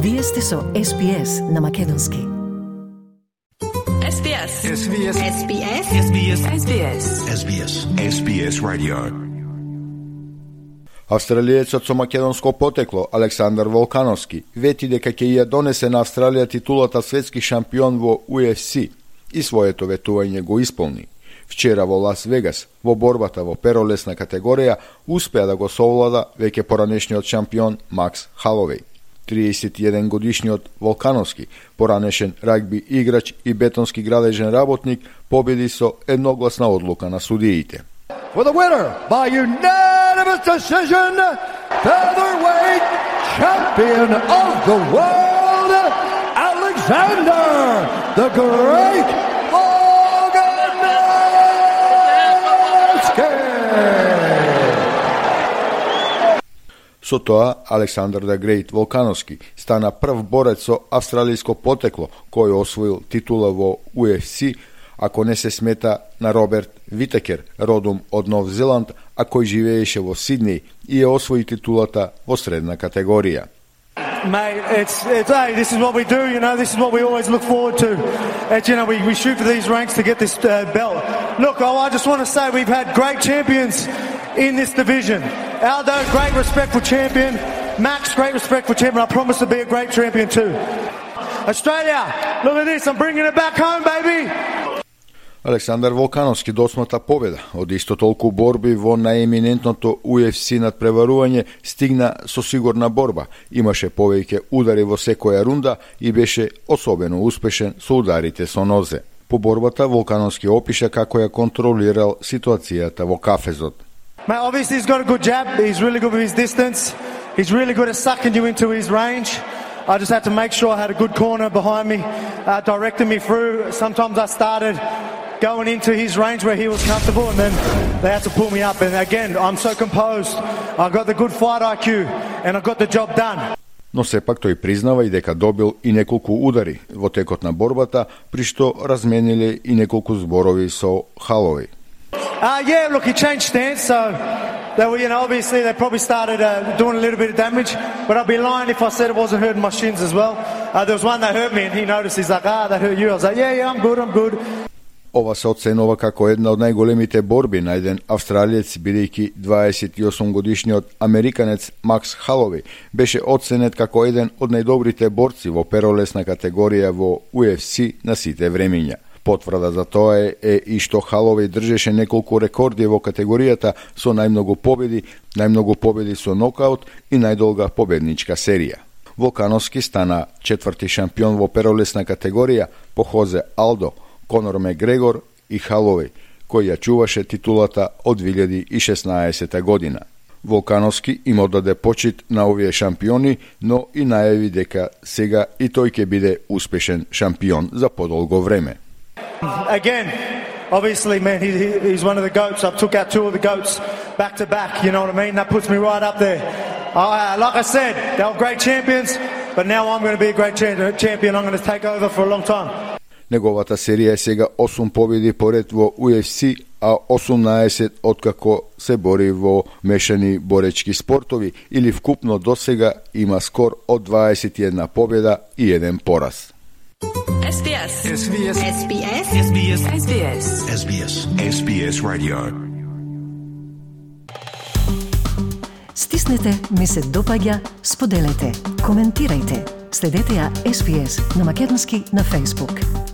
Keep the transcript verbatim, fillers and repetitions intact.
Вие сте со Ес Би Ес на македонски. Ес Би Ес. Ес Би Ес. Ес Би Ес. Ес Би Ес. Ес Би Ес. Ес Би Ес. Ес Би Ес Radio. Австралиецот со македонско потекло Александар Волкановски вети дека ќе ја донесе на Австралија титулата светски шампион во У Еф Си и своето ветување го исполни. Вчера во Лас Вегас, во борбата во перолесна категорија, успеа да го совлада веќе поранешниот шампион Макс Халовеј. триесет и еден годишниот Волкановски, поранешен рагби играч и бетонски градежен работник, победи со едногласна одлука на судиите. For the winner by unanimous decision, featherweight champion of the world, Alexander the Great Volkanovski. Со тоа, Александар the Great Волкановски стана прв борец со австралиско потекло кој освоил титула во У Еф Си, ако не се смета на Роберт Витекер, родом од Нов Зеланд, а кој живееше во Сиднеј и ја освои титулата во средна категорија. Mate, it's, it's, hey, this is what we do, you know, this is what we always look forward to. It's, you know, we, we shoot for these ranks to get this uh, belt. Look, oh, I just want to say we've had great champions in this division. Aldo, great respect for champion. Max, great respect for champion. I promise to be a great champion too. Australia, look at this, I'm bringing it back home, baby. Александар Волкановски досмата победа од исто толку борби во најеминентното У Еф Си надпреварување, стигна со сигурна борба. Имаше повеќе удари во секоја рунда и беше особено успешен со ударите со нозе. По борбата Волкановски опиша како ја контролирал ситуацијата во кафезот. Mate, obviously he's got a good jab. He's really good with his distance. He's really good at sucking you into his range. I just had to make sure I had a good corner behind me, uh, directing me through. Sometimes I started going into his range where he was comfortable, and then they had to pull me up. And again, I'm so composed. I got the good fight I Q, and I got the job done. Но сепак тој признава и дека добил и неколку удари во текот на борбата, при што размениле и неколку зборови со Халовеј. Uh, yeah, look, he changed stance, so they were, you know, obviously they probably started uh, doing a little bit of damage, but I'd be lying if I said it wasn't hurting my shins as well. Uh, there was one that hurt me, and he noticed. He's like, ah, that hurt you. I was like, yeah, yeah, I'm good, I'm good. Ова се оценува како една од најголемите борби на еден австралиец, бидејќи дваесет и осум годишниот американец Макс Халовеј беше оценет како еден од најдобрите борци во перолесна категорија во У Еф Си на сите времиња. Потврда за тоа е, е и што Халовеј држеше неколку рекорди во категоријата со најмногу победи, најмногу победи со нокаут и најдолга победничка серија. Волкановски стана четврти шампион во перолесна категорија по Хозе Алдо, Конор Мегрегор и Халовеј, кој ја чуваше титулата од две илјади и шеснаесета година. Волкановски им оддаде почит на овие шампиони, но и најави дека сега и тој ќе биде успешен шампион за подолго време. Again, obviously, man, he, he's one of the GOATs. I took out two of the GOATs back to back, you know what I mean? That puts me right up there. Uh, like I said, they were great champions, but now I'm going to be a great champion. I'm going to take over for a long time. Неговата серија е сега осум победи поред во У Еф Си, а осумнаесет откако се бори во мешани боречки спортови, или вкупно до сега има скор од дваесет и една победа и еден пораз. Ес Би Ес. Ес Би Ес. Ес Би Ес. Ес Би Ес. Ес Би Ес. Ес Би Ес. Ес Би Ес Radio. Стиснете, ми се допаѓа, споделете, коментирајте. Следете ја Ес Би Ес на македонски на Facebook.